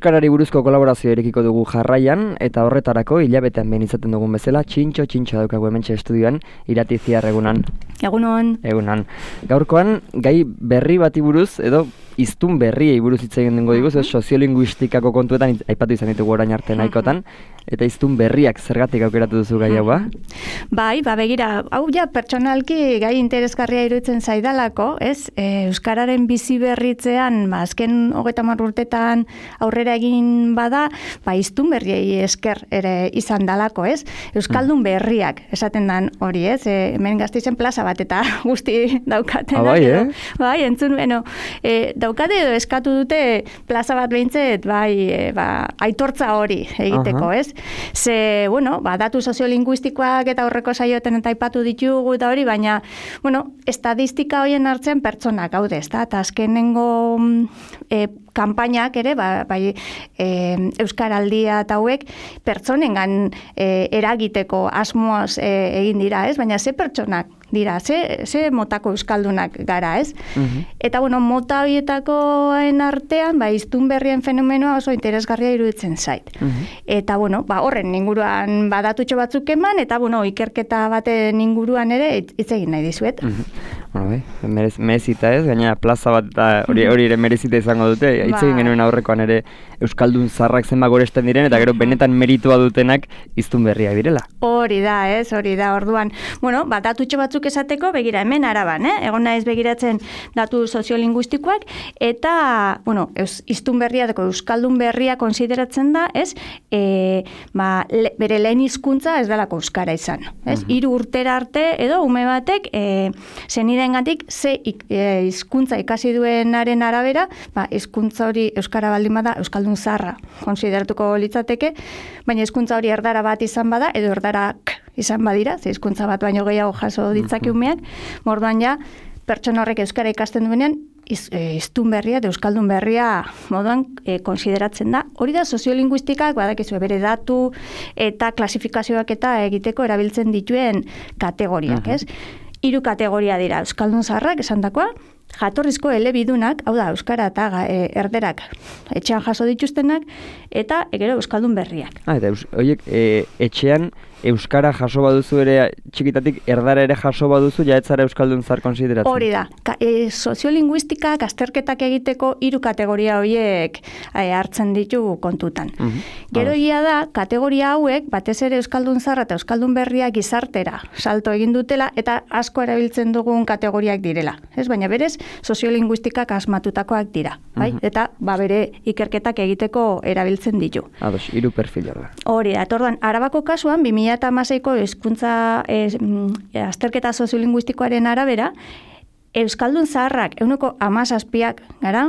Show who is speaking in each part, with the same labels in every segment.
Speaker 1: Euskarari buruzko kolaborazio erekiko dugu jarraian, eta horretarako hilabetean behin izaten dugun bezala, txintxo daukagu hementxe estudioan, Irati Ziar egunan. Egunan. Gaurkoan, gai berri bati buruz, edo hiztun berriei buruz hitz egin dengo diguz, soziolinguistikako kontuetan aipatu izan ditugu orain arte nahikotan, eta hiztun berriak zergatik aukeratu duzu gai hau, ba?
Speaker 2: Bai, begira, hau ja pertsonalki gai interesgarria iruditzen zaidalako, ez? Euskararen bizi berritzean, azken 30 urtetan aurrera egin bada, hiztun berriei esker ere izan dalako, ez? Euskaldun berriak, esaten dan hori, ez? Hemen Gasteizen plaza bat eta guzti daukaten.
Speaker 1: Bai,
Speaker 2: Bai, entzun, daukate edo eskatu dute plaza bat behintzet, aitortza hori egiteko, ez? Ze, datu soziolinguistikoak eta horreko saioetan eta aipatu ditugu eta hori, baina, estadistika horien hartzen pertsonak gaude, ez da? Eta azkenengo kanpainak ere, Euskaraldia eta hauek pertsonengan eragiteko asmoaz egin dira, ez? Baina ze pertsonak dira, ze motako euskaldunak gara, ez? Eta, mota horietakoen artean, hiztun berrien fenomenoa oso interesgarria iruditzen zait. Eta, horren inguruan badatutxo batzuk eman, eta, ikerketa baten inguruan ere hitz egin nahi dizuet.
Speaker 1: Merezita ez, gaina plaza bat eta hori ere merezita izango dute, hitz egin genuen aurrekoan ere euskaldun zaharrak zenbat goresten diren, eta gero benetan meritua dutenak hiztun berriak direla.
Speaker 2: Hori da, orduan. Datutxo batzuk esateko, begira, hemen Araban, egon naiz begiratzen datu soziolinguistikoak, eta, hiztun berria, euskaldun berria konsideratzen da, ez, bere lehen hizkuntza ez delako euskara izan, ez? 3 urtera arte, edo ume batek, zenidengatik ze hizkuntza ikasi duenaren arabera, hizkuntza hori euskara baldin bada, euskaldun zaharra konsideratuko litzateke, baina hizkuntza hori erdara bat izan bada, edo erdarak izan badira, ze hizkuntza bat baino gehiago jaso ditzake umeak, morduan ja, pertsona horrek euskara ikasten duenean, hiztun berria, euskaldun berria moduan konsideratzen da. Hori da soziolinguistikak, badakizu, bere datu eta klasifikazioak eta egiteko erabiltzen dituen kategoriak, ez? 3 kategoria dira, euskaldun zaharrak esandakoa, jatorrizko elebidunak, hau da, euskara eta erderak etxean jaso dituztenak, eta gero euskaldun berriak.
Speaker 1: Eta horiek etxean euskara jaso baduzu ere txikitatik erdara ere jaso baduzu ja etzara euskaldun zahar konsideratzen.
Speaker 2: Hori da. Soziolinguistikak azterketak egiteko 3 kategoria horiek hartzen ditu kontutan. Gero da, kategoria hauek batez ere euskaldun zaharra eta euskaldun berriak gizartera salto egin dutela eta asko erabiltzen dugun kategoriak direla. Ez, baina berez soziolinguistikak asmatutakoak dira, bai? Eta bere ikerketak egiteko erabiltzen ditu.
Speaker 1: 3 perfila da.
Speaker 2: Hori da. Orduan, Arabako kasuan 2016ko hizkuntza azterketa soziolinguistikoaren arabera, euskaldun zaharrak 17%ak gara,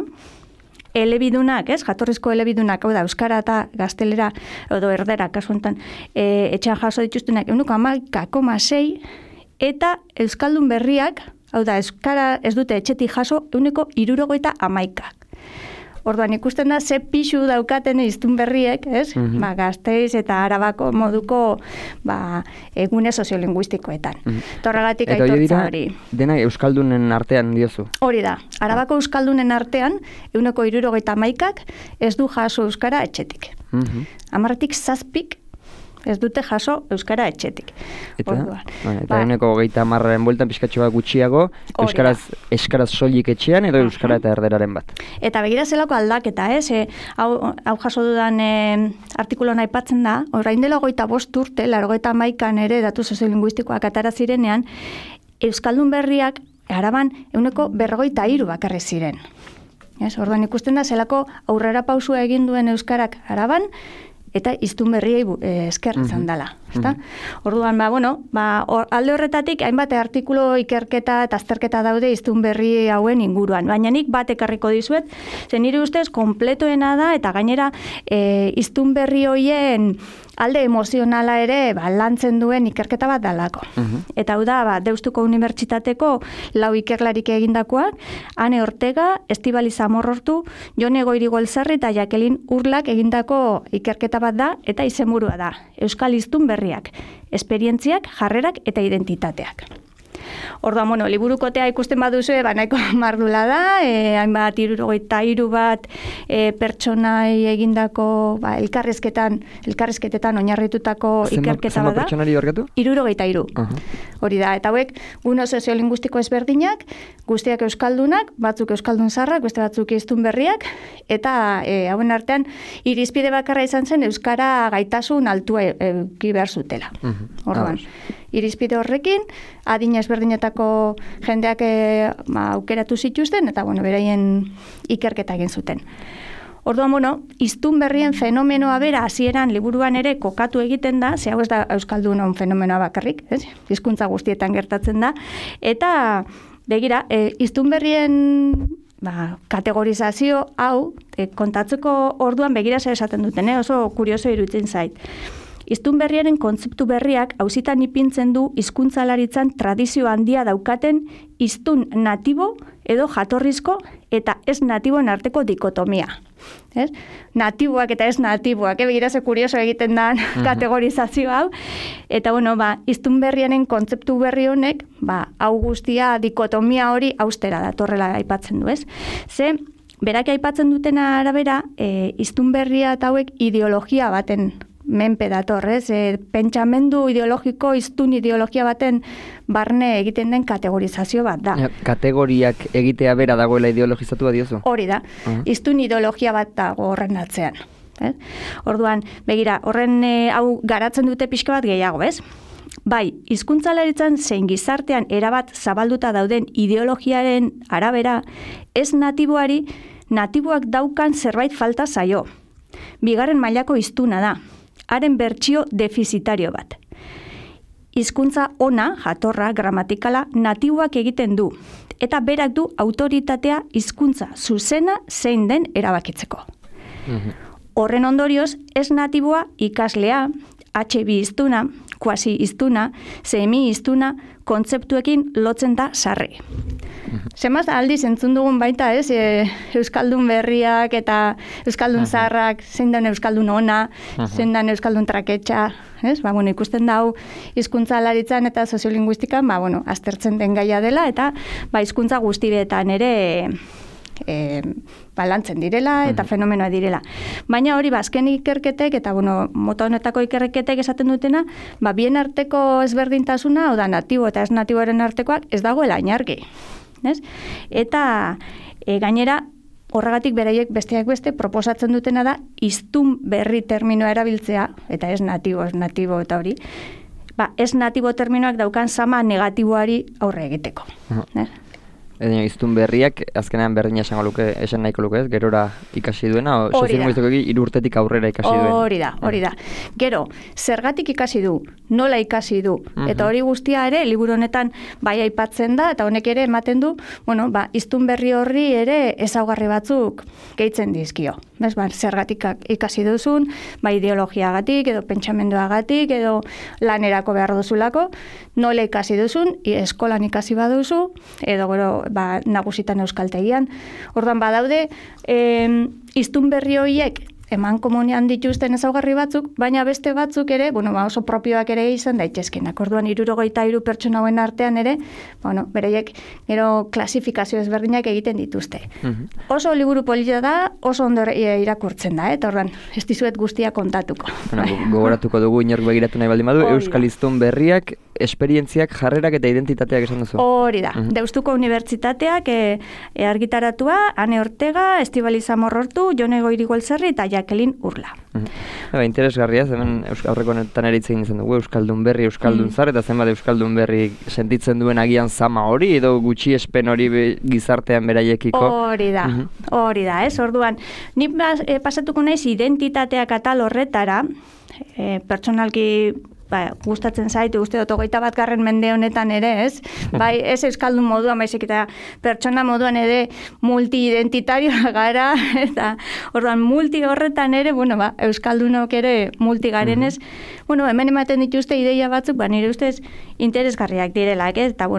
Speaker 2: elebidunak, jatorrizko elebidunak, hau da, euskara eta gaztelera, edo erdera, kasu honetan, etxean jaso dituztenak 11,6%, eta euskaldun berriak, hau da, euskara ez dute etxetik jaso 71%. Orduan ikusten da, ze pixu daukaten hiztun berriek, ez? Gasteiz eta Arabako moduko egune soziolinguistikoetan. Horregatik aitortza hori.
Speaker 1: Dena euskaldunen artean diozu?
Speaker 2: Hori da. Arabako euskaldunen artean, 71%ak ez du jaso euskara etxetik. 10-7 ez dute jaso euskara etxetik.
Speaker 1: Eta 30%aren bueltan pixkatxo bat gutxiago, euskaraz soilik etxean edo euskara eta erderaren bat.
Speaker 2: Eta begira zelako aldaketa, hau jaso dudan artikuloan aipatzen da, orain dela 25 urte, 91an ere datu soziolinguistikoak atara zirenean, euskaldun berriak Araban 43% bakarrik ziren. Orduan ikusten da zelako aurrera pausua egin duen euskarak Araban, eta hiztun berriei esker izan dela. Orduan, alde horretatik, hainbat artikulu ikerketa eta azterketa daude hiztun berri hauen inguruan. Baina nik bat ekarriko dizuet, zen nire ustez, konpletoena da, eta gainera hiztun berri hoien alde emozionala ere lantzen duen ikerketa bat dalako. Eta hau da, Deustuko Unibertsitateko 4 ikerlarik egindakoak, Ane Ortega, Estibaliz Amorrortu, Jone Goirigoelzarri eta Jacqueline Urlak egindako ikerketa bat da, eta izenburua da, Euskal hiztun berriak, esperientziak, jarrerak eta identitateak. Orduan, bueno, liburukotea ikusten baduzue, nahiko mardula da, hainbat 73 bat pertsonai egindako elkarrizketetan oinarritutako ikerketa bada.
Speaker 1: Zenbat pertsonari horretu?
Speaker 2: 73. Hori da, eta hauek, guno soziolinguistiko ezberdinak, guztiak euskaldunak, batzuk euskaldun zaharrak, beste batzuk hiztun berriak, eta hauen artean, irizpide bakarra izan zen euskara gaitasun altua eduki behar zutela. Orduan, irizpide horrekin, adina ezberdinetako jendeak aukeratu zituzten, eta beraien ikerketa egin zuten. Orduan, hiztun berrien fenomenoa bera hasieran liburuan ere kokatu egiten da, ze hau ez da euskaldunon fenomenoa bakarrik, hizkuntza guztietan gertatzen da, eta begira, hiztun berrien kategorizazio hau kontatzeko orduan begira zer esaten duten, oso kurioso iruditzen zait. Hiztun berriaren kontzeptu berriak auzitan ipintzen du hizkuntzalaritzan tradizio handia daukaten hiztun natibo edo jatorrizko eta ez natiboen arteko dikotomia. Natiboak eta ez natiboak, begira ze kurioso egiten da kategorizazio hau. Eta hiztun berriaren kontzeptu berri honek, hau guztia dikotomia hori austera datorrela aipatzen du, ez? Ze, berak aipatzen dutena arabera, hiztun berria eta hauek ideologia baten menpe dator, pentsamendu ideologiko, hiztun ideologia baten barne egiten den kategorizazio bat da.
Speaker 1: Kategoriak egitea bera dagoela ideologizatu bat diozu?
Speaker 2: Hori da, hiztun ideologia bat dago horren atzean. Orduan, begira, horren hau garatzen dute pixka bat gehiago, ez? Bai, hizkuntzalaritzan zein gizartean erabat zabalduta dauden ideologiaren arabera, ez natiboari, natiboak daukan zerbait falta zaio. Bigarren mailako hiztuna da. Haren bertsio defizitario bat. Hizkuntza ona, jatorra, gramatikala, natiboak egiten du, eta berak du autoritatea hizkuntza zuzena zein den erabakitzeko. Horren ondorioz, ez natiboa ikaslea, HB hiztuna, kuasi hiztuna, semi hiztuna, kontzeptuekin lotzen da sarri. Zemaz aldiz entzun dugun baita, euskaldun berriak eta euskaldun zaharrak, zein den euskaldun ona, zein den euskaldun traketxa, ikusten dau hizkuntzalaritzan eta soziolinguistikan, aztertzen den gaia dela, eta hizkuntza guztietan ere lantzen direla eta fenomenoa direla. Baina hori, azken ikerketek eta mota honetako ikerketek esaten dutena, bien arteko ezberdintasuna, hau da natibo eta ez natiboaren artekoak, ez dagoela inargi. Eta gainera, horregatik beraiek besteak beste proposatzen dutena da hiztun berri terminoa erabiltzea, eta ez natibo eta hori, ez natibo terminoak daukan sama negatiboari aurre egiteko.
Speaker 1: Hiztun berriak, azkenean berdina esan nahiko luke, gerora ikasi duena, soziolinguistikoki 3 urtetik aurrera ikasi duena.
Speaker 2: Hori da. Gero, zergatik ikasi du, nola ikasi du, eta hori guztia ere, liburu honetan bai aipatzen da, eta honek ere ematen du, hiztun berri horri ere ezaugarri batzuk gehitzen dizkio. Zergatik ikasi duzun, ideologiagatik, edo pentsamenduagatik, edo lanerako behar duzulako, nola ikasi duzun, eskolan ikasi baduzu, edo gero nagusitan euskaltegian. Orduan badaude, hiztun berri horiek eman komunian dituzten ezaugarri batzuk, baina beste batzuk ere, oso propioak ere izan daitezkenak. Orduan 73 pertsona hauen artean ere, bereiek gero klasifikazio ezberdinak egiten dituzte. Oso liburu polita da, oso ondo irakurtzen da, eta orduan ez dizuet guztia kontatuko.
Speaker 1: Gogoratuko dugu inork begiratu nahi baldin badu, euskal hiztun berriak, esperientziak, jarrerak eta identitateak esan duzu.
Speaker 2: Hori da. Deustuko Unibertsitateak argitaratua, Ane Ortega, Estibaliz Amorrortu, Jone Goirigolzerri eta Jacqueline Urla.
Speaker 1: Interesgarria, hemen aurreko honetan ere hitz egin izan dugu, euskaldun berri, euskaldun zar, eta zenbat euskaldun berri sentitzen duen agian zama hori, edo gutxi espen hori gizartean beraiekiko.
Speaker 2: Hori da, ez? Orduan, nik pasatuko naiz identitateak atal horretara, pertsonalki gustatzen zaitu, uste dut 21. mende honetan ere, ez? Ez euskaldun moduan, baizik eta pertsona moduan ere multi-identitarioa gara, eta orduan multi horretan ere, euskaldunok ere multi garenez, hemen ematen dituzte ideia batzuk, nire ustez interesgarriak direlak, eta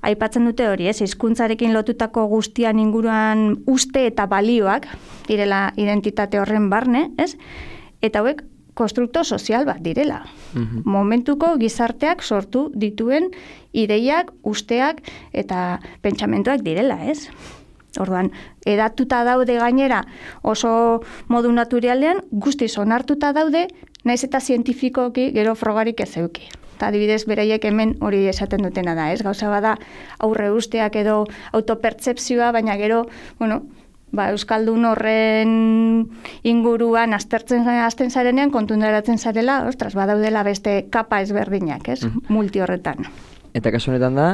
Speaker 2: aipatzen dute hori, ez? Hizkuntzarekin lotutako guztian inguruan uste eta balioak direla identitate horren barne, ez? Eta hauek konstrukto sozial bat direla. Momentuko gizarteak sortu dituen ideiak, usteak eta pentsamentuak direla, ez? Orduan, edatuta daude gainera oso modu naturalean, guztiz onartuta daude, naiz eta zientifikoki gero frogarik ez euki. Eta adibidez, beraiek hemen hori esaten dutena da, ez? Gauza bada aurre usteak edo autopertzepzioa, baina gero, euskaldun horren inguruan hasten zarenean kontunderatzen zarela, badaudela beste kapa ezberdinak, ez? Multi horretan.
Speaker 1: Eta kasu honetan da,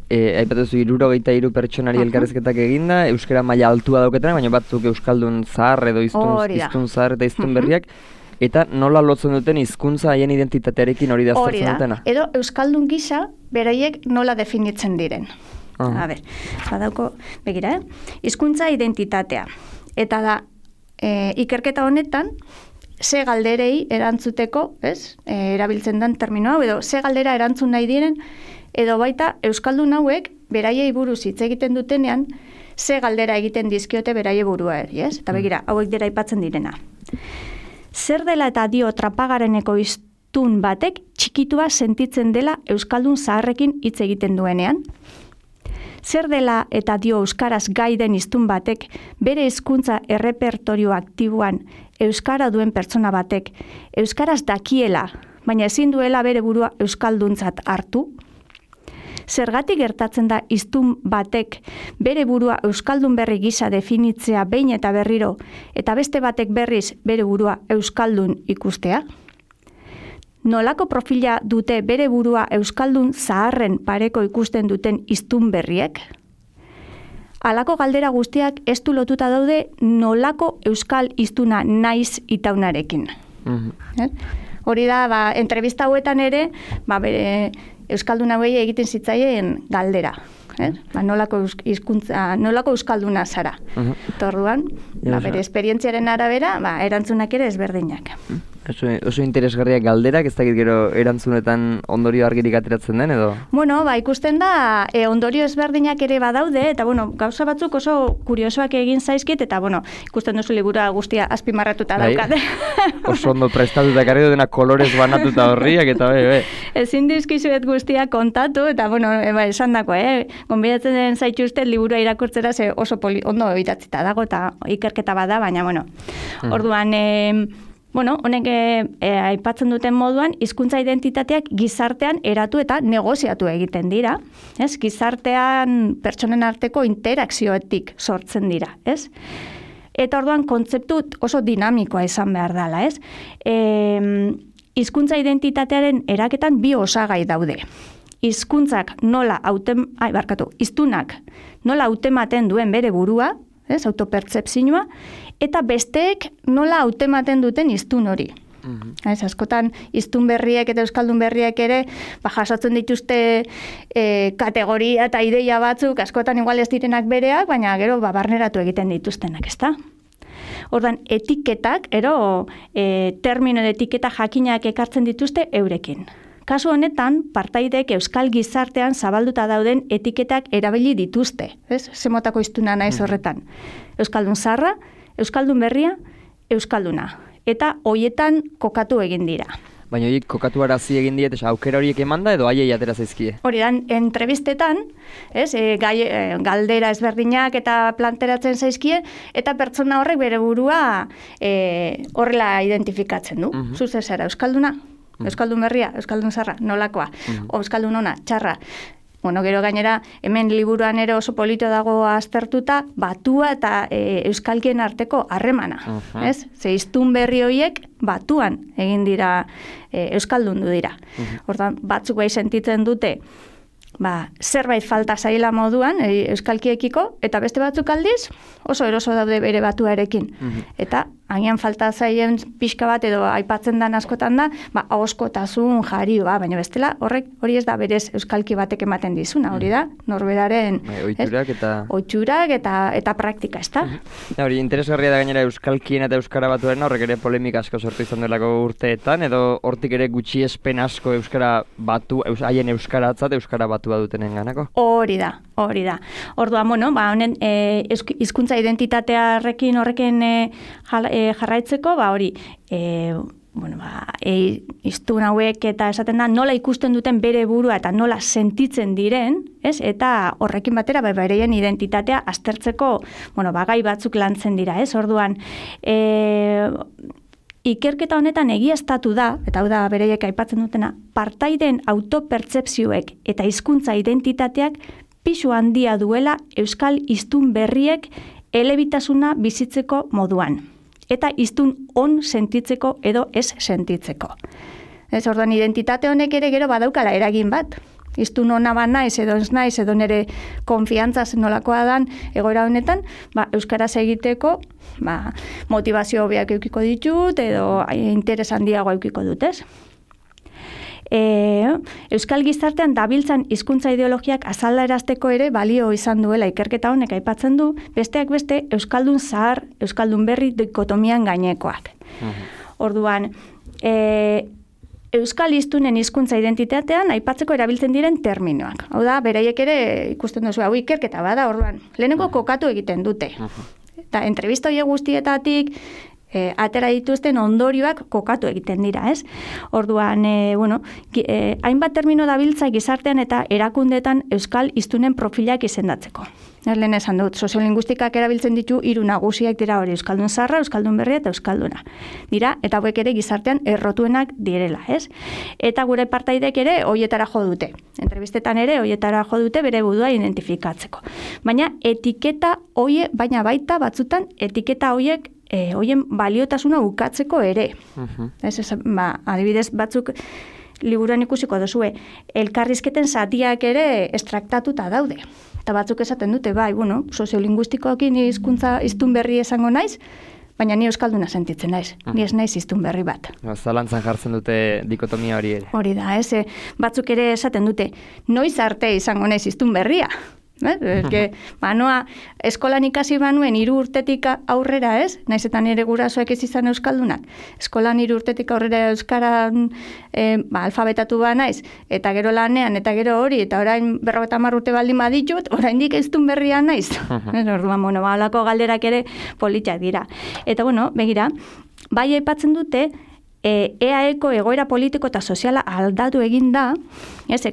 Speaker 1: aipatuzu 63 pertsonari elkarrizketak eginda, euskara maila altua dauketenak, baina batzuk euskaldun zahar edo hiztun zahar eta hiztun berriak, eta nola lotzen duten hizkuntza haien identitatearekin hori da aztertzen dutena?
Speaker 2: Edo euskaldun gisa beraiek nola definitzen diren. A ber, badauko, begira, hizkuntza identitatea. Eta da, ikerketa honetan, ze galderei erantzuteko, erabiltzen den terminoa, edo ze galdera erantzun nahi diren, edo baita euskaldun hauek beraiei buruz hitz egiten dutenean, ze galdera egiten dizkiote beraie burua ez? Eta begira, hauek dira aipatzen direna. Zer dela eta dio trapagareneko hiztun batek txikitua sentitzen dela euskaldun zaharrekin hitz egiten duenean? Zer dela eta dio euskaraz gai den hiztun batek bere hizkuntza errepertorio aktiboan euskara duen pertsona batek euskaraz dakiela, baina ezin duela bere burua euskalduntzat hartu? Zergatik gertatzen da hiztun batek bere burua euskaldun berri gisa definitzea behin eta berriro, eta beste batek berriz bere burua euskaldun ikustea? Nolako profila dute bere burua euskaldun zaharren pareko ikusten duten hiztun berriek? Halako galdera guztiak ez du lotuta daude nolako euskal hiztuna naiz itaunarekin. Hori da, entrevista hauetan ere, bere euskaldun hauei egiten zitzaien galdera. Nolako euskalduna zara. Orduan, bere esperientziaren arabera, erantzunak ere ezberdinak.
Speaker 1: Oso interesgarriak galderak, ez dakit gero erantzunetan ondorio argirik ateratzen den, edo?
Speaker 2: Ikusten da, ondorio ezberdinak ere badaude, eta gauza batzuk oso kuriosoak egin zaizkit, eta ikusten duzu liburua guztia azpimarratuta daukat.
Speaker 1: Oso ondo prestatuta karri dutena kolorez banatuta horriak, eta
Speaker 2: ezin dizkizuet guztia kontatu, eta esan dako, gonbidatzen den zaituzte liburua irakurtzera ze oso ondo idatzita dago, eta ikerketa bada, baina orduan, honek aipatzen duten moduan, hizkuntza identitateak gizartean eratu eta negoziatu egiten dira. Gizartean pertsonen arteko interakzioetik sortzen dira. Eta orduan kontzeptu oso dinamikoa izan behar dela. Hizkuntza identitatearen eraketan bi osagai daude. Hiztunak nola hautematen duen bere burua, autopertzepzioa, eta besteek nola hautematen duten hiztun hori. Askotan, hiztun berriek eta euskaldun berriek ere jasotzen dituzte kategoria eta ideia batzuk, askotan igual ez direnak bereak, baina gero barneratu egiten dituztenak, ezta? Ordan etiketak, termino de etiketa jakinak ekartzen dituzte eurekin. Kasu honetan, partaideek euskal gizartean zabalduta dauden etiketak erabili dituzte. Zemotako hiztuna naiz horretan. Euskaldun zaharra, euskaldun berria, euskalduna. Eta hoietan kokatu egin dira.
Speaker 1: Baina horiek kokatu arazi egin diet, aukera horiek emanda edo haiei atera zaizkie?
Speaker 2: Hori da, entrevistetan, galdera ezberdinak eta planteratzen zaizkie, eta pertsona horrek bere burua horrela identifikatzen du. Zuze zara, euskalduna? Euskaldun berria, euskaldun zarra, nolakoa, euskaldun ona, txarra. Gero gainera, hemen liburuan ere oso polito dago aztertuta, batua eta euskalkien arteko harremana. Ze hiztun berri horiek batuan egin dira, euskaldundu dira. Hortan, batzuk bai sentitzen dute, zerbait falta zaila moduan, euskalkiekiko, eta beste batzuk aldiz, oso eroso daude bere batuarekin. Eta agian falta zaien pixka bat edo aipatzen dan askotan da, ahoskotasun, jarioa, baina bestela hori ez da berez euskalki batek ematen dizuna, hori da, norberaren ohiturak eta praktika, ez da?
Speaker 1: Hori, interesgarria da gainera euskalkien eta euskara batuaren horrek ere polemika asko sortu izan delako urteetan, edo hortik ere gutxiespen asko euskara batu, haien euskaratzat euskara batua dutenen ganako?
Speaker 2: Hori da. Orduan, honen hizkuntza identitatearekin horrekin jarraitzeko, hori, hiztun hauek eta esaten da nola ikusten duten bere burua eta nola sentitzen diren, ez? Eta horrekin batera bereien identitatea aztertzeko, gai batzuk lantzen dira, ez? Orduan, ikerketa honetan egiaztatu da, eta hau da bereiek aipatzen dutena, partaideen autopertzepzioek eta hizkuntza identitateak pisu handia duela euskal hiztun berriek elebitasuna bizitzeko moduan. Eta hiztun on sentitzeko edo ez sentitzeko. Ez, orduan, identitate honek ere gero badaukala eragin bat. Hiztun ona ba naiz edo ez naiz edo nere konfiantza zenolakoa dan egoera honetan, euskaraz egiteko, motivazio hobeak edukiko ditut edo interes handiagoa edukiko dut, ez? Euskal gizartean dabiltzan hizkuntza ideologiak azalarazteko ere balio izan duela ikerketa honek aipatzen du, besteak beste euskaldun zahar, euskaldun berri dikotomian gainekoak. Orduan, euskal hiztunen hizkuntza identitatean aipatzeko erabiltzen diren terminoak. Hau da, beraiek ere ikusten duzu, hau ikerketa bada, orduan, lehenengo kokatu egiten dute. Eta entrevista horiek guztietatik atera dituzten ondorioak kokatu egiten dira, ez? Orduan, hainbat termino dabiltza gizartean eta erakundetan euskal hiztunen profilak izendatzeko. Lehen esan dut, soziolinguistikak erabiltzen ditu 3 nagusiak dira hori, euskaldun zaharra, euskaldun berria eta euskalduna. Dira, eta hauek ere gizartean errotuenak direla, ez? Eta gure partaidek ere hoietara jo dute. Entrevistetan ere hoietara jo dute bere burua identifikatzeko. Baina etiketa baina baita batzutan etiketa hoiek hoien baliotasuna ukatzeko ere. Adibidez batzuk liburuan ikusiko duzue, elkarrizketen zatiak ere estraktatuta daude. Eta batzuk esaten dute, soziolinguistikoekin hiztun berri esango naiz, baina ni euskalduna sentitzen naiz. Ni ez naiz hiztun berri bat.
Speaker 1: Zalantzan jartzen dute dikotomia hori ere.
Speaker 2: Hori da, batzuk ere esaten dute, noiz arte izango naiz hiztun berria. Noa, eskolan ikasi banuen 3 urtetik aurrera, ez? Naiz eta nire gurasoek ez izan euskaldunak. Eskolan 3 urtetik aurrera euskaran alfabetatu ba naiz, eta gero lanean, eta gero hori, eta orain 50 urte baldin baditut, oraindik hiztun berria naiz. Orduan, halako galderak ere politak dira. Eta, begira, bai aipatzen dute, EAEko egoera politiko eta soziala aldatu egin da,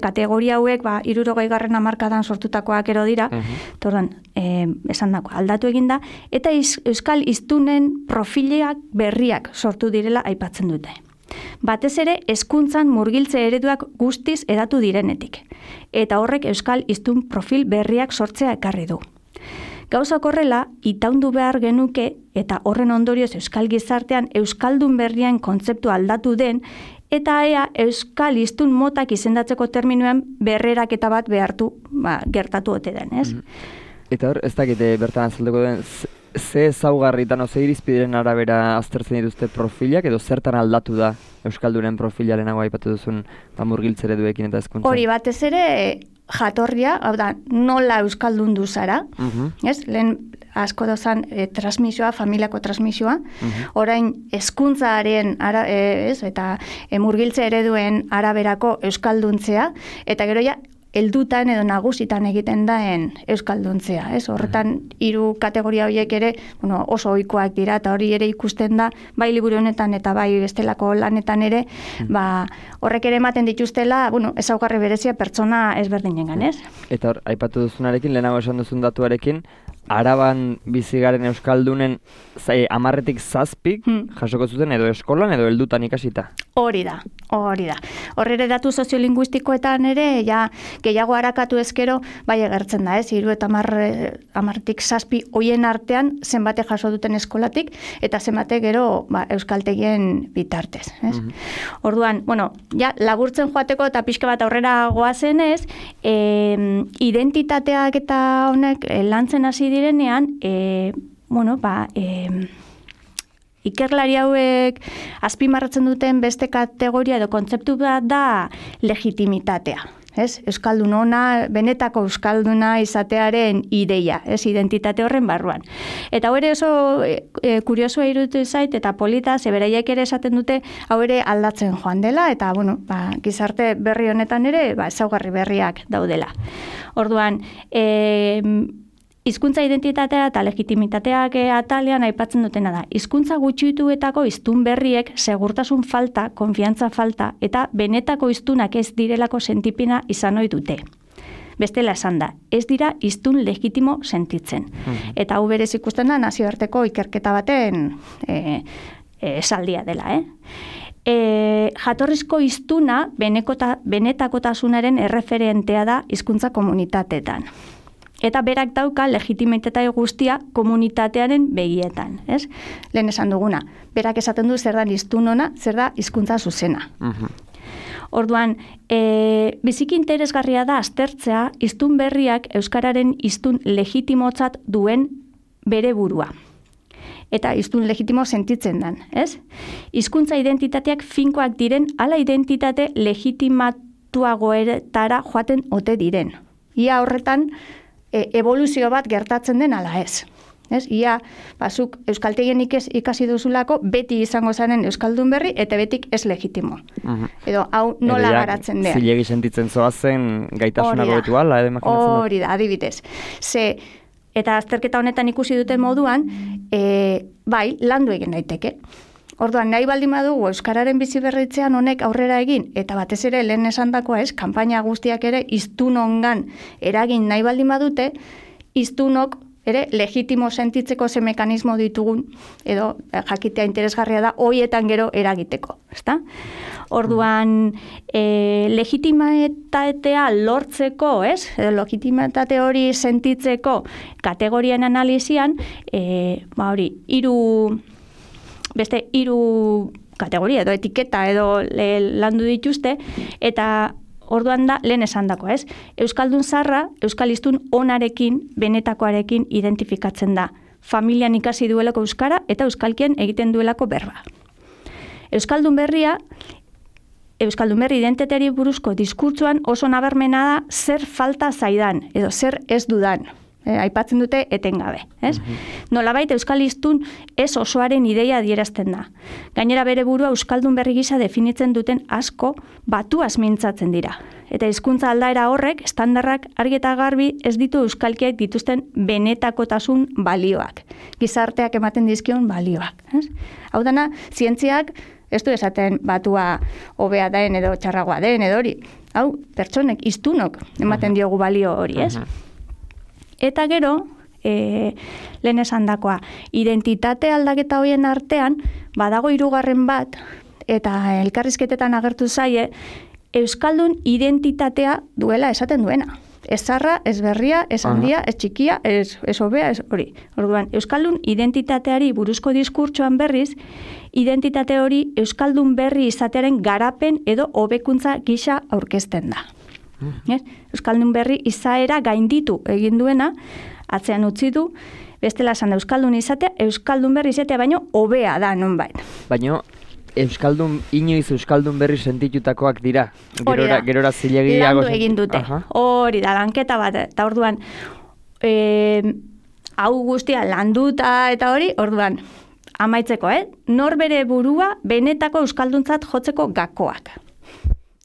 Speaker 2: kategoria hauek 60. hamarkadan sortutakoak ero dira, esan dako, aldatu egin da, eta euskal hiztunen profileak berriak sortu direla aipatzen dute. Batez ere, hezkuntzan murgiltze ereduak guztiz edatu direnetik, eta horrek euskal hiztun profil berriak sortzea ekarri du. Gauzak horrela, itaundu behar genuke eta horren ondorioz euskal gizartean euskaldun berrien kontzeptu aldatu den eta ea euskal hiztun motak izendatzeko terminoen berreraketa bat gertatu ote den, ez?
Speaker 1: Eta hor, ez dakite bertan azalduko den, ze ezaugarritan, ze irizpideren arabera aztertzen dituzte profilak edo zertan aldatu da euskaldunen profilarenago aipatu duzun murgiltze ereduekin eta hezkuntza?
Speaker 2: Hori batez ere, jatorria, hau da, nola euskaldun du zara, lehen asko dozan transmisioa, familiako transmisioa, orain hezkuntzaren eta murgiltze ereduen araberako euskalduntzea, eta gero ja, heldutan edo nagusitan egiten daen euskalduntzea, ez? Horretan 3 kategoria horiek ere, oso ohikoak dira eta hori ere ikusten da, bai liburu honetan eta bai bestelako lanetan ere, horrek ere ematen dituztela, ezaugarri berezia pertsona ezberdinengan, ez?
Speaker 1: Eta hor, aipatu duzunarekin, lehenago esan duzun datuarekin, Araban bizigaren euskaldunen 10-tik 7 jasoko zuten edo eskolan edo heldutan ikasita.
Speaker 2: Hori da. Horrere datu soziolinguistikoetan ere, gehiago harakatu ezkero, bai egertzen da, 3 eta 10-tik 7 hoien artean zenbate jaso duten eskolatik, eta zenbate gero euskaltegien bitartez. Orduan, laburtzen joateko eta pixka bat aurrera goazenez, identitateak eta honek lantzen hasi direnean, ikerlari hauek azpimarratzen duten beste kategoria edo kontzeptu bat da legitimitatea. Euskaldun ona, benetako euskalduna izatearen ideia, identitate horren barruan. Eta hau ere oso kuriosua iruditu zait, eta polita, zeberaiek ere esaten dute, hau ere aldatzen joan dela, eta gizarte berri honetan ere, ezaugarri berriak daudela. Orduan, hizkuntza identitatea eta legitimitateak atalean aipatzen dutena da. Hizkuntza gutxituetako hiztun berriek segurtasun falta, konfiantza falta eta benetako hiztunak ez direlako sentipena izan ohi dute. Bestela esan da, ez dira hiztun legitimo sentitzen. Eta hau berez ikusten da nazioarteko ikerketa baten esaldia dela, jatorrizko hiztuna benetakotasunaren erreferentea da hizkuntza komunitateetan. Eta berak dauka legitimitatea guztia komunitatearen begietan, ez? Lehen esan duguna, berak esaten du zer da hiztun ona, zer da hizkuntza zuzena. Orduan, biziki interesgarria da aztertzea hiztun berriak euskararen hiztun legitimotzat duen bere burua. Eta hiztun legitimo sentitzen dan, ez? Hizkuntza identitateak finkoak diren, ala identitate legitimatuagoetara joaten ote diren. Ia horretan, evoluzio bat gertatzen den ala ez. Ia, zuk euskaltegien ikasi duzulako, beti izango zaren euskaldun berri, eta betik ez legitimo. Edo, hau nola garatzen dira.
Speaker 1: Zilegi sentitzen zoazen gaitasunago betu ala,
Speaker 2: hori da, adibidez. Eta azterketa honetan ikusi duten moduan, bai, landu egin daiteke. Orduan, nahi baldin badugu euskararen bizi berritzean honek aurrera egin, eta batez ere lehen esandakoa ez, kanpaina guztiak ere hiztunongan eragin nahi baldin badute, hiztunok ere legitimo sentitzeko ze mekanismo ditugun, edo jakitea interesgarria da, hoietan gero eragiteko, ezta? Orduan, legitimitatea lortzeko, ez? Legitimitate hori sentitzeko kategorien analizian, hiru kategoria edo etiketa edo landu dituzte, eta orduan da, lehen esandako, ez? Euskaldun zarra, euskal hiztun onarekin, benetakoarekin identifikatzen da. Familian ikasi duelako euskara eta euskalkien egiten duelako berba. Euskaldun berri identitateari buruzko diskurtsuan oso nabarmena da zer falta zaidan edo zer ez dudan. Aipatzen dute etengabe, ez? Nolabait euskal hiztun ez osoaren ideia adierazten da. Gainera bere burua euskaldun berri gisa definitzen duten asko batuaz mintzatzen dira. Eta hizkuntza aldaera horrek estandarrak argi eta garbi ez ditu euskalkiak dituzten benetakotasun balioak. Gizarteak ematen dizkion balioak, ez? Hau dana, zientziak ez du esaten batua hobea den edo txarragoa den edo hori. Hau, pertsonek, hiztunok ematen diogu balio hori, ez? Eta gero, lehen esandakoa, identitate aldaketa horien artean, badago hirugarren bat, eta elkarrizketetan agertu zaie, euskaldun identitatea duela esaten duena. Ez zarra, ez berria, ez handia, ez txikia, ez hobea, ez hori. Orduan, euskaldun identitateari buruzko diskurtsoan berriz, identitate hori euskaldun berri izatearen garapen edo hobekuntza gisa aurkezten da. Euskaldun berri izaera gainditu egin duena, atzean utzi du, bestela esan euskaldun izatea, euskaldun berri izatea baino hobea da nonbait.
Speaker 1: Baino, inoiz euskaldun berri sentitutakoak dira. Gerora zilegiago
Speaker 2: landu egin dute. Hori da, lanketa bat. Eta orduan, hau guztia landuta eta hori, orduan, amaitzeko, norbere burua benetako euskalduntzat jotzeko gakoak.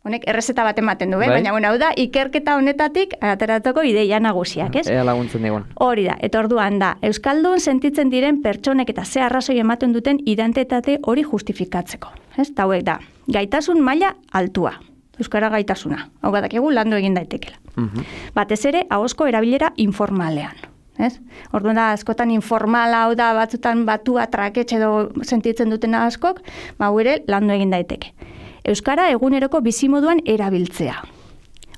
Speaker 2: Honek errezeta bat ematen du, baina hau da, ikerketa honetatik ateratzeko ideia nagusiak, ez?
Speaker 1: Ea laguntzen digun.
Speaker 2: Hori da, eta orduan da, euskaldun sentitzen diren pertsonek eta ze arrazoi ematen duten identitate hori justifikatzeko. Ez? Ta hauek da, gaitasun maila altua, euskara gaitasuna. Hau badakigu landu egin daitekela. Batez ere, ahozko erabilera informalean. Ez? Orduan da, askotan informala hau da, batzutan batua traketxe edo sentitzen duten askok, hau ere landu egin daiteke. Euskara eguneroko bizimoduan erabiltzea.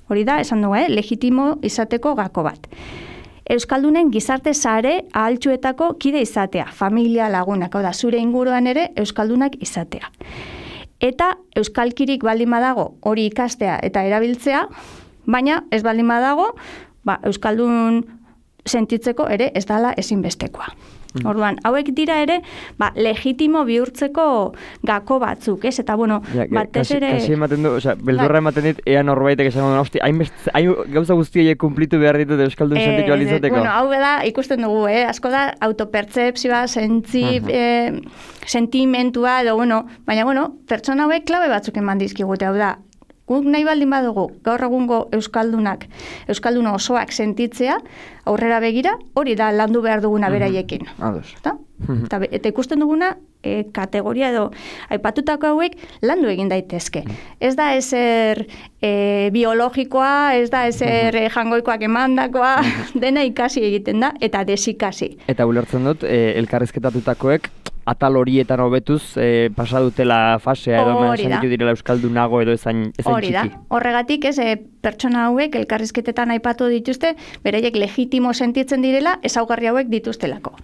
Speaker 2: Hori da, esan dugu, legitimo izateko gako bat. Euskaldunen gizarte sare ahaltsuetako kide izatea, familia lagunak, da zure inguruan ere euskaldunak izatea. Eta euskalkirik baldin badago hori ikastea eta erabiltzea, baina ez baldin badago, euskaldun sentitzeko ere ez dala ezinbestekoa. Orduan, hauek dira ere, legitimo bihurtzeko gako batzuk, ez? Eta, batez ere...
Speaker 1: Kasi ematen du, beldurra ematen dit, ea norbaitek esan duen, gauza guztiek kumplitu behar ditut euskaldun sentitu alizateko.
Speaker 2: Hau da, ikusten dugu, asko da, autopertzepzioa, sentimentua, edo, baina, pertsona hauek klabe batzuk eman dizkigute, hau da, Guk nahi baldin badugu, gaur egungo euskaldun osoak sentitzea, aurrera begira, hori da landu behar duguna beraiekin. Eta ikusten duguna, kategoria edo aipatutako hauek landu egin daitezke. Ez da ezer biologikoa, ez da ezer jangoikoak emandakoa, dena ikasi egiten da, eta desikasi.
Speaker 1: Eta ulertzen dut, elkarrizketatutakoek atal horietan hobetuz pasadutela fasea edo sentitu direla euskaldunago edo ezain txiki.
Speaker 2: Hori da. Horregatik pertsona hauek elkarrizketetan aipatu dituzte, beraiek legitimo sentitzen direla ezaugarri hauek dituztelako.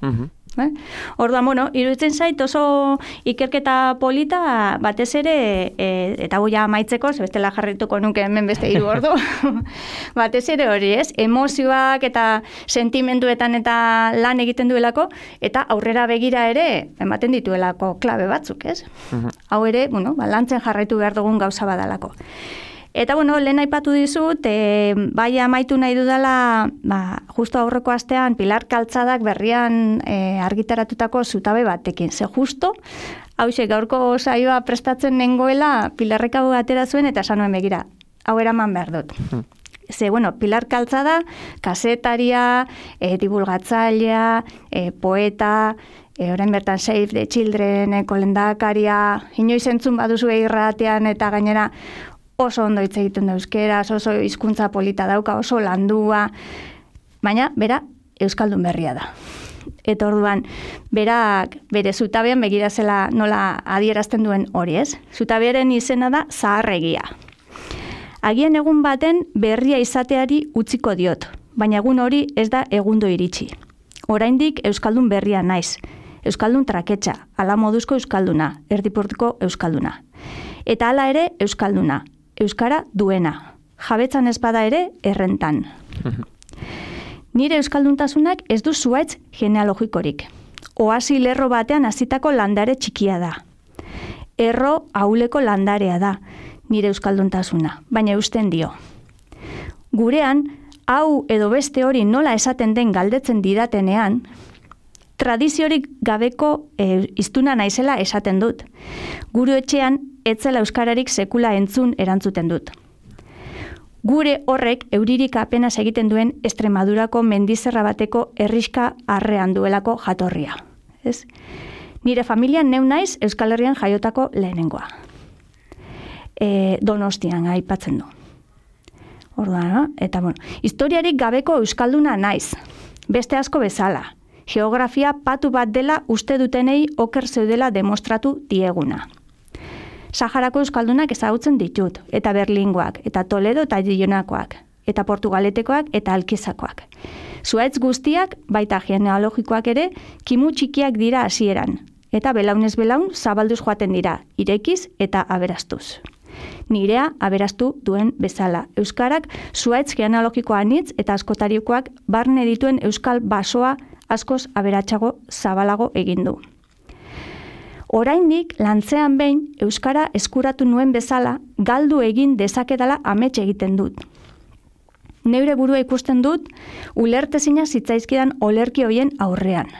Speaker 2: Orduan, iruditzen zait oso ikerketa polita batez ere, eta goia amaitzeko, bestela jarrituko nuke hemen beste 3 ordu, batez ere hori emozioak eta sentimenduetan eta lan egiten duelako, eta aurrera begira ere ematen dituelako klabe batzuk, Hau ere, lantzen jarraitu behar dugun gauza badalako. Eta, lehen aipatu dizut, bai amaitu nahi dudala, justo aurreko astean, Pilar Kaltzadak berrian argitaratutako zutabe batekin. Ze justo, hauxe gaurko saioa prestatzen nengoela, Pilarrek hau atera zuen, eta esan nuen begira, hau eraman behar dut. Ze, Pilar Kaltzada, kasetaria, divulgatzailea, poeta, orain bertan Save the Childreneko lehendakaria, inoiz entzun baduzu irratean eta gainera, oso ondo hitz egiten da euskeraz, oso hizkuntza polita dauka, oso landua, baina bera euskaldun berria da. Eta orduan, berak bere zutabean begirazela nola adierazten duen hori, Zutabearen izena da zaharregia. Agian egun baten berria izateari utziko diot, baina egun hori ez da egundo iritsi. Oraindik euskaldun berria naiz, euskaldun traketxa, ala moduzko euskalduna, erdipurtiko euskalduna. Eta hala ere euskalduna, euskara duena, jabetzan ez bada ere errentan. Nire euskalduntasunak ez du zuaitz genealogikorik. Oasi lerro batean hasitako landare txikia da. Erro ahuleko landarea da, nire euskalduntasuna, baina eusten dio. Gurean, hau edo beste hori nola esaten den galdetzen didatenean, tradiziorik gabeko hiztuna naizela esaten dut. Gure etxean, etzela euskararik sekula entzun erantzuten dut. Gure horrek euririk apenas egiten duen Extremadurako mendizerra bateko herriska arrean duelako jatorria. Nire familian neu naiz Euskal Herrian jaiotako lehenengoa. Donostian aipatzen du. Orduan, eta historiarik gabeko euskalduna naiz. Beste asko bezala. Geografia patu bat dela uste dutenei oker zeudela demostratu dieguna. Saharako euskaldunak ezagutzen ditut, eta Berlingoak, eta Toledo eta Dionakoak, eta Portugaletekoak eta Alkizakoak. Zuaitz guztiak, baita genealogikoak ere, kimu txikiak dira hasieran, eta belaunez belaun zabalduz joaten dira, irekiz eta aberastuz. Nirea aberastu duen bezala. Euskarak zuaitz genealogikoa anitz eta askotarikoak barne dituen euskal basoa askoz aberatsago zabalago egin du. Oraindik lantzean behin euskara eskuratu nuen bezala galdu egin dezakedala amets egiten dut. Neure burua ikusten dut ulertezina zitzaizkidan olerki hoien aurrean.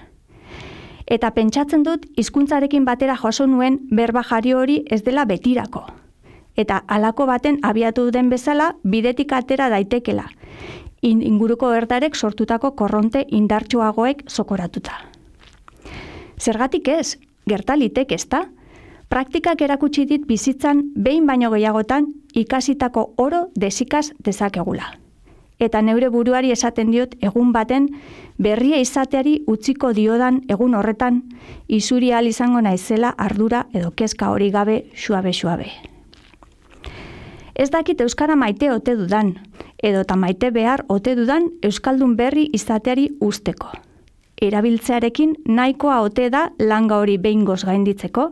Speaker 2: Eta pentsatzen dut hizkuntzarekin batera jaso nuen berba jari hori ez dela betirako. Eta halako baten abiatu den bezala bidetik atera daitekela. Inguruko erdarek sortutako korronte indartsuagoek zokoratuta. Zergatik ez? Gertalitek ezta? Praktikak erakutsi dit bizitzan behin baino gehiagotan ikasitako oro desikaz dezakegula. Eta neure buruari esaten diot egun baten berria izateari utziko diodan egun horretan isuri ahal izango naizela ardura edo kezka hori gabe suabe-suabe. Ez dakit euskara maite ote dudan, edota maite behar ote dudan euskaldun berri izateari usteko. Erabiltzearekin nahikoa ote da langa hori behingoz gainditzeko,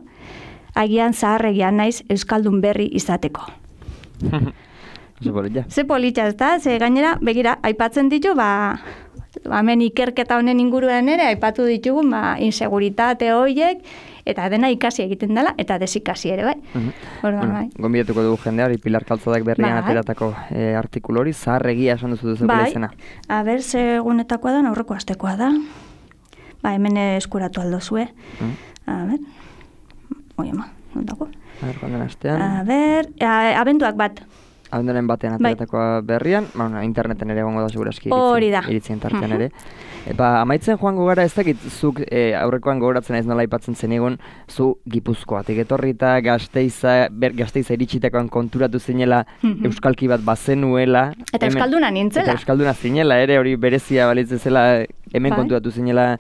Speaker 2: agian zaharregian naiz euskaldun berri izateko. Ze politxa ez da, ze gainera, begira, aipatzen ditu, hemen ikerketa honen inguruan ere, aipatu ditugu, inseguritate horiek, eta dena ikasi egiten dela, eta desikasi ere, bai.
Speaker 1: Gonbidatuko dugu jendeari, Pilar Kaltzadak berrian ateratako artikulu hori, zaharregia esan duzu duzeko izena.
Speaker 2: Aber, segunetakoa da, aurreko astekoa da. Hemen eskuratu aldo zue. nondago?
Speaker 1: Joan den astean.
Speaker 2: Abenduak bat.
Speaker 1: Abenduaren batean ateratakoa berrian, interneten ere egongo da segurazki iritzien tartean ere. Amaitzen joango gara ez dakit, zuk aurrekoan gogoratzen ez nola aipatzen zen egon, zu Gipuzkoatik etorri eta Gasteiza iritsitakoan konturatu zinela euskalki bat bazenuela.
Speaker 2: Eta euskalduna nintzela.
Speaker 1: Eta euskalduna zinela ere, hori berezia balitzen zela hemen konturatu zinela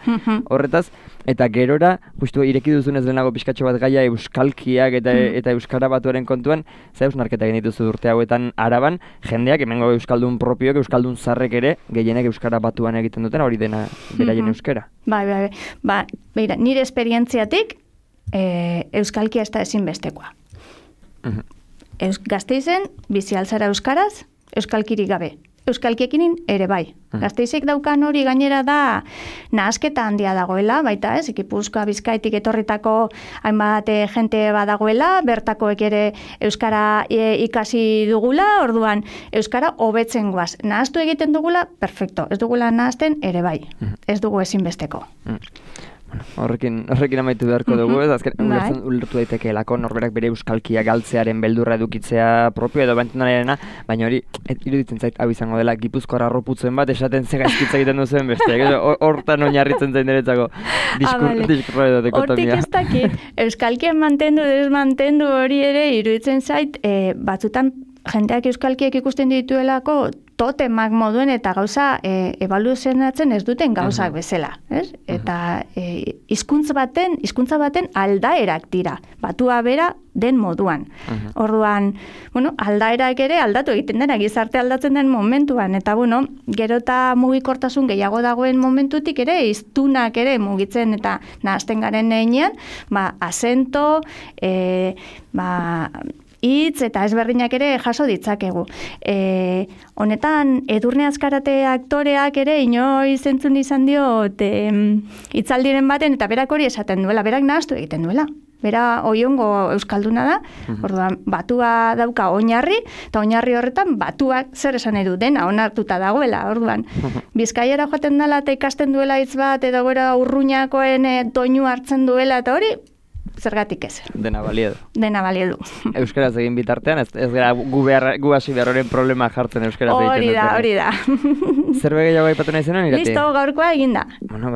Speaker 1: horretaz. Eta gerora, justu ireki duzunez lehenago pixkatxo bat gaia euskalkiak eta euskara batuaren kontuan, za eusnarketa genituzu urte hauetan Araban, jendeak hemengo euskaldun propioek, euskaldun zarrek ere, gehienek euskara batuan egiten duten, hori dena beraien euskara.
Speaker 2: Beira, nire esperientziatik, euskalkia ez da ezinbestekoa. Gasteizen, bizi altzara euskaraz, euskalkirik gabe. Euskalkiekin ere bai. Gasteizik daukan hori gainera da nahasketa handia dagoela, baita ez, Gipuzkoa Bizkaitik etorritako hainbat jente badagoela, bertakoek ere euskara ikasi dugula, orduan euskara hobetzen goaz. Nahaztu egiten dugula, perfecto. Ez dugula nahazten ere bai. Ez dugu ezinbesteko.
Speaker 1: Horrekin amaitu beharko dugu, ez azken ulertu daitekeelako norberak bere euskalkia galtzearen beldurra edukitzea propio edo bentunarena, baina hori iruditzen zait hau izango dela Gipuzkoar arroputzen bat esaten ze gaizkitza egiten duzuen besteak, hortan oinarritzen zain deretzako diskurro edo dekotomia.
Speaker 2: Hortik ez dakit, euskalkien mantendu, desmantendu hori ere iruditzen zait, batzutan jendeak euskalkiek ikusten dituelako totemak moduen eta gauza ebaluzionatzen ez duten gauzak bezala, ez? Eta hizkuntza baten aldaerak dira, batua bera den moduan. Orduan, aldaerak ere aldatu egiten dena, gizarte aldatzen den momentuan, eta gero eta mugikortasun gehiago dagoen momentutik ere, hiztunak ere mugitzen eta nahazten garen heinean, asento, hitz eta ezberdinak ere jaso ditzakegu. Honetan, Edurne Azkarate aktoreak ere inoiz entzun izan diot hitzaldiren baten eta berak hori esaten duela, berak nahaztu egiten duela. Bera oiongo euskalduna da, orduan batua dauka oinarri, eta oinarri horretan batuak zer esan edu dena onartuta dagoela, orduan. Bizkaiara joaten dela eta ikasten duela hitz bat, edo gora urruñakoen doinu hartzen duela, eta hori, zergatik ez.
Speaker 1: Dena baliedu.
Speaker 2: Dena baliedu.
Speaker 1: Euskaraz egin bitartean, ez gara gu hasi behar horren problema jartzen euskaraz egiten dutena.
Speaker 2: Hori da.
Speaker 1: Zerbe gehiago aipatu nahi zenuen, Irati?
Speaker 2: Listo, gaurkoa eginda.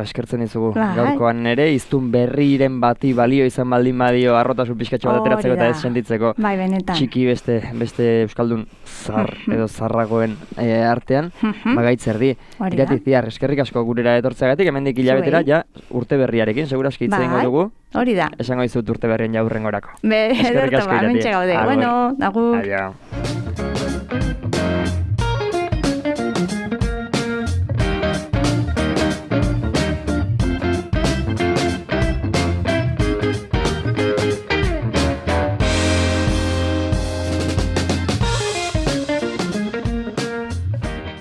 Speaker 1: Eskertzen izugu. Gaurkoan ere, iztun berriren bati balio izan baldin badio arrotasun pixkatxo bat ateratzeko eta ez sentitzeko.
Speaker 2: Bai, benetan.
Speaker 1: Txiki beste euskaldun zar edo zarragoen artean, bagaitzerdi. Irati Ziar, eskerrik asko gurera etortzeagatik, hemendik hilabetera, ja urte berriarekin, segurazki hitz egingo dugu.
Speaker 2: Hori da.
Speaker 1: Esango dizut urte berrien jaurrengorako.
Speaker 2: Eskerrik asko, Irati. Bueno, agur.